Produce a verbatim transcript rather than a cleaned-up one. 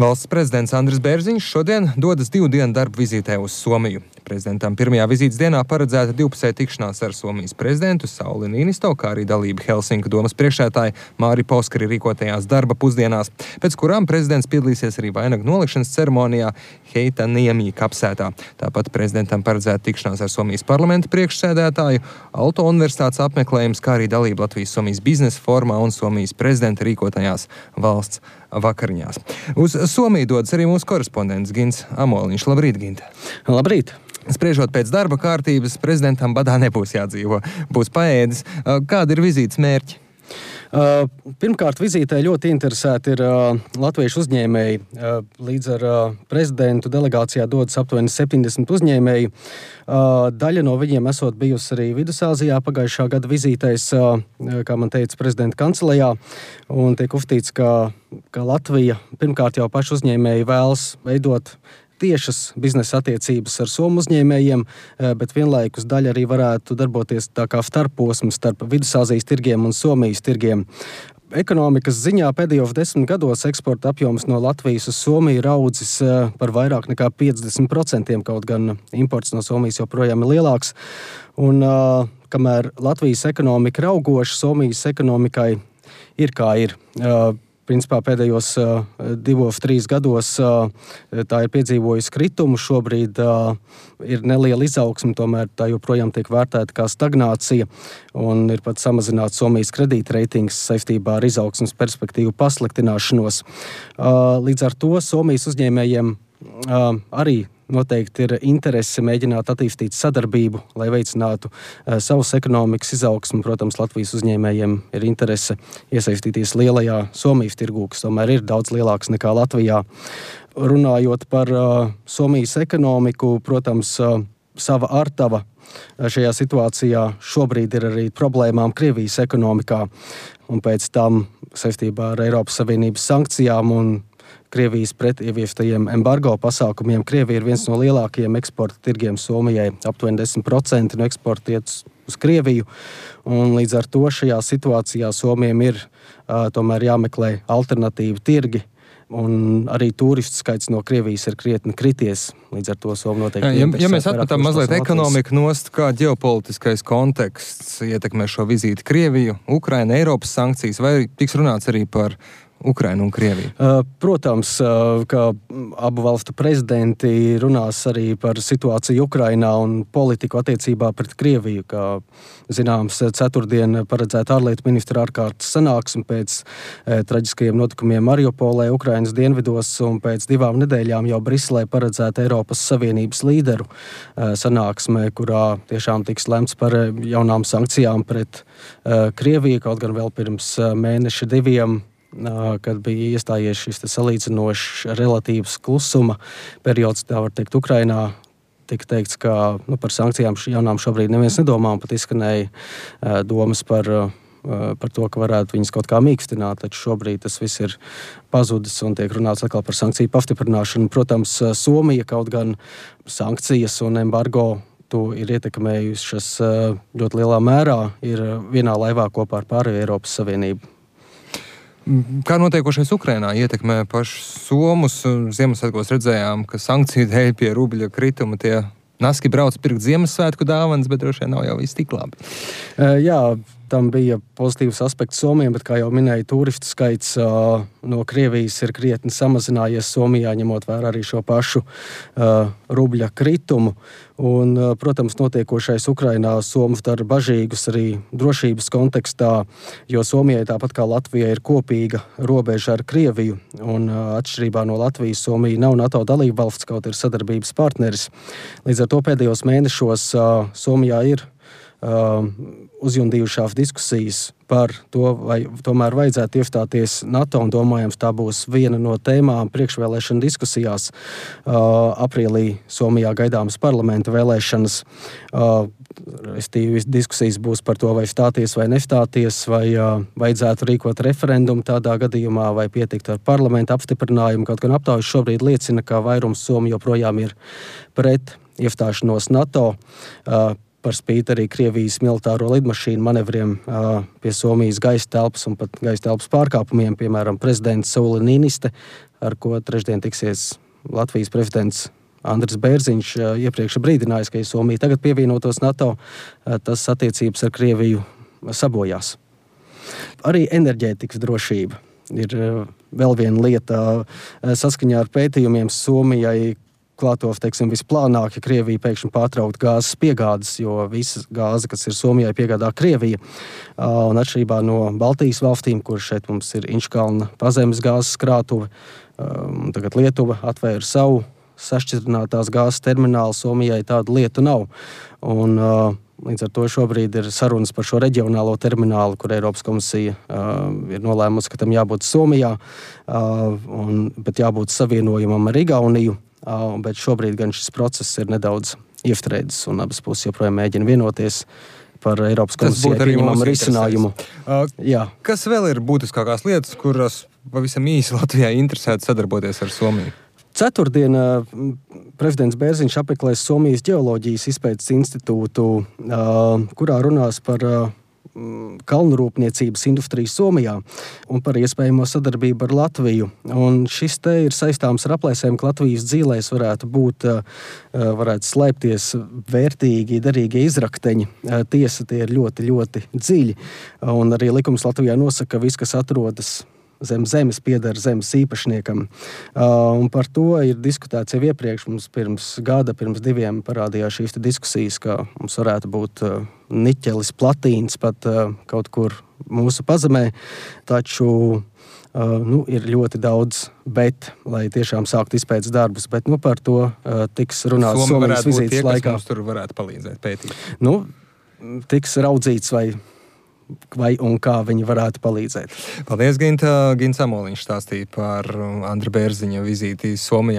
Valsts prezidents Andris Bērziņš šodien dodas divu dienu darba vizītē uz Somiju. Prezidentam pirmajā vizītes dienā paredzēta divpusēja tikšanās ar Somijas prezidentu Sauli Niinisto, kā arī dalība Helsinku domas priekšsēdētāja Māri Pauskari rīkotajās darba pusdienās, pēc kurām prezidents piedalīsies arī vainagu nolikšanas ceremonijā Heitaniemi kapsētā. Tāpat prezidentam paredzēta tikšanās ar Somijas parlamenta priekšsēdētāju, Aalto universitātes apmeklējums, kā arī dalība Latvijas-Somijas biznesa formā un Somijas prezidenta rīkotajās valsts vakariņās. Uz Somiju dodas arī mūsu korespondents Gints Amoliņš. Labrīt, Ginte! Labrīt! Spriežot pēc darba kārtības, prezidentam badā nebūs jādzīvo, būs paēdis. Kādi ir vizītes mērķi? Uh, pirmkārt, vizītē ļoti interesēti ir uh, latviešu uzņēmēji. Uh, līdz ar uh, prezidentu delegācijā dodas aptuveni septiņdesmit uzņēmēji. Uh, daļa no viņiem esot bijusi arī Vidusāzijā pagājušā gada vizītēs, uh, kā man teica, prezidenta kancelejā. Un tiek uzskatīts, ka, ka Latvija pirmkārt jau paši uzņēmēji vēlas veidot tiešas biznesa attiecības ar somu uzņēmējiem, bet vienlaikus daļa arī varētu darboties tā kā starposms starp Vidusāzijas tirgiem un Somijas tirgiem. Ekonomikas ziņā pēdējos desmit gados eksporta apjoms no Latvijas uz Somiju ir audzis par vairāk nekā piecdesmit procentiem, kaut gan imports no Somijas joprojām ir lielāks. Un kamēr Latvijas ekonomika ir augoša, Somijas ekonomikai ir kā ir. Principā pēdējos uh, divos, trīs gados uh, tā ir piedzīvojusi kritumu. Šobrīd uh, ir neliela izaugsme, tomēr tā joprojām tiek vērtēta kā stagnācija un ir pat samazināts Somijas kredītreitings saistībā ar izaugsmes perspektīvu pasliktināšanos. Uh, līdz ar to Somijas uzņēmējiem uh, arī noteikti ir interese mēģināt attīstīt sadarbību, lai veicinātu uh, savus ekonomikas izaugsmu. Protams, Latvijas uzņēmējiem ir interese iesaistīties lielajā Somijas tirgū, kas tomēr ir daudz lielāks nekā Latvijā. Runājot par uh, Somijas ekonomiku, protams, uh, sava artava šajā situācijā šobrīd ir arī problēmām Krievijas ekonomikā. Un pēc tam saistībā ar Eiropas Savienības sankcijām un Krievijas pretieviestajiem embargo pasākumiem. Krievija ir viens no lielākajiem eksporta tirgiem Somijai. Aptuveni desmit procenti no eksporta iet uz Krieviju. Un līdz ar to šajā situācijā Somijam ir uh, tomēr jāmeklē alternatīvi tirgi. Un arī turistu skaits no Krievijas ir krietni krities. Līdz ar to Somu noteikti... Ja, ja mēs atmetam mazliet ekonomiku nost, kā ģeopolitiskais konteksts ietekmē šo vizīti Krieviju, Ukraina, Eiropas sankcijas, vai tiks runāts arī par Ukrainu un Krieviju? Protams, ka abu valstu prezidenti runās arī par situāciju Ukrainā un politiku attiecībā pret Krieviju. Kā zināms, ceturtdien paredzēta ārlietu ministra ārkārtas sanāksme pēc e, traģiskajiem notikumiem Mariupolē, Ukrainas dienvidos, un pēc divām nedēļām jau Briselē paredzēta Eiropas Savienības līderu e, sanāksme, kurā tiešām tiks lemts par jaunām sankcijām pret e, Krieviju, kaut gan vēl pirms mēneša diviem, kad bija iestājies šis salīdzinošs relatīvs klusuma periods, tā var teikt, Ukrainā. Tika teikts, ka nu, par sankcijām jaunām šobrīd neviens nedomā, un pat izskanēja uh, domas par, uh, par to, ka varētu viņas kaut kā mīkstināt, taču šobrīd tas viss ir pazudis un tiek runāts atkal par sankciju pastiprināšanu. Protams, Somija kaut gan sankcijas un embargo to ir ietekmējušas uh, ļoti lielā mērā, ir vienā laivā kopā ar pārējo Eiropas Savienību. Kā notiekošais Ukrainā ietekmē pašus somus? Ziemassvētkos redzējām, ka sankciju dēļ pie rubļa krituma tie naski brauc pirkt Ziemassvētku dāvanas, bet droši vien nav jau viss tik labi. Jā, tam bija pozitīvs aspekts Somijam, bet, kā jau minēju, turistu skaits uh, no Krievijas ir krietni samazinājies Somijā, ņemot vērā arī šo pašu uh, rubļa kritumu. Un, uh, protams, notiekošais Ukrainā Somus dara bažīgus arī drošības kontekstā, jo Somijai, tāpat kā Latvijai, ir kopīga robeža ar Krieviju. Un uh, atšķirībā no Latvijas, Somija nav NATO dalība valsts, kaut ir sadarbības partneris. Līdz ar to pēdējos mēnešos uh, Somijā ir Uh, uzjundījušās diskusijas par to, vai tomēr vajadzētu iestāties NATO, un domājams, tā būs viena no tēmām priekšvēlēšana diskusijās. Uh, aprīlī Somijā gaidāmas parlamenta vēlēšanas. Uh, diskusijas būs par to, vai stāties vai nestāties, vai uh, vajadzētu rīkot referendumu tādā gadījumā, vai pietikt ar parlamenta apstiprinājumu. Kaut gan aptaujas šobrīd liecina, ka vairums Somi joprojām ir pret iestāšanos NATO. Uh, par spīti arī Krievijas militāro lidmašīnu manevriem pie Somijas gaisa telpas un pat gaisa telpas pārkāpumiem, piemēram, prezidents Sauli Niiniste, ar ko trešdien tiksies Latvijas prezidents Andris Bērziņš, iepriekš brīdinājis, ka ja Somija tagad pievienotos NATO, tas attiecības ar Krieviju sabojās. Arī enerģētikas drošība ir vēl viena lieta. Saskaņā ar pētījumiem Somijai klātos, teiksim, visplānāk, ja Krievija pēkšņi pārtraukt gāzes piegādes, jo visa gāze, kas ir Somijai, piegādā Krievija. Un atšķirībā no Baltijas valstīm, kur šeit mums ir Inčkalna pazemes gāzes krātuve, tagad Lietuva atvēra savu sašķidrinātās gāzes terminālu, Somijai tāda lieta nav. Un līdz ar to šobrīd ir sarunas par šo reģionālo terminālu, kur Eiropas komisija uh, ir nolēmusi, ka tam jābūt Somijā, uh, un, bet jābūt savienojumam ar Igauniju. Uh, bet šobrīd gan šis process ir nedaudz iestrēdzis, un abas puses joprojām mēģina vienoties par Eiropas komisijai pieņemamu risinājumu. Uh, kas vēl ir būtiskākās lietas, kuras pavisam īsi Latvijai interesētu sadarboties ar Somiju? Ceturtdien prezidents Bērziņš apmeklēs Somijas ģeoloģijas izpētes institūtu, kurā runās par kalnrūpniecības industriju Somijā un par iespējamo sadarbību ar Latviju. Un šis te ir saistāms ar aplēsēm, ka Latvijas dzīlēs varētu būt, varētu slēpties vērtīgi, derīgie izrakteņi. Tiesa, tie ir ļoti, ļoti dziļi. Un arī likums Latvijā nosaka, ka viss, kas atrodas zem zemes, pieder zemes īpašniekam. Uh, un par to ir diskutēts jau iepriekš. Mums pirms gada, pirms diviem parādījās šīs diskusijas, ka mums varētu būt uh, niķelis, platīns pat uh, kaut kur mūsu pazemē. Taču uh, nu, ir ļoti daudz bet, lai tiešām sāktu izpētes darbus. Bet nu, par to uh, tiks runāts Somijas vizītes laikā. Mums tur varētu palīdzēt pētīt. Nu, tiks raudzīts, vai vai un kā viņi varētu palīdzēt. Paldies, Ginta. Gints Amoliņš stāstīja par Andra Bērziņa vizīti Somijā.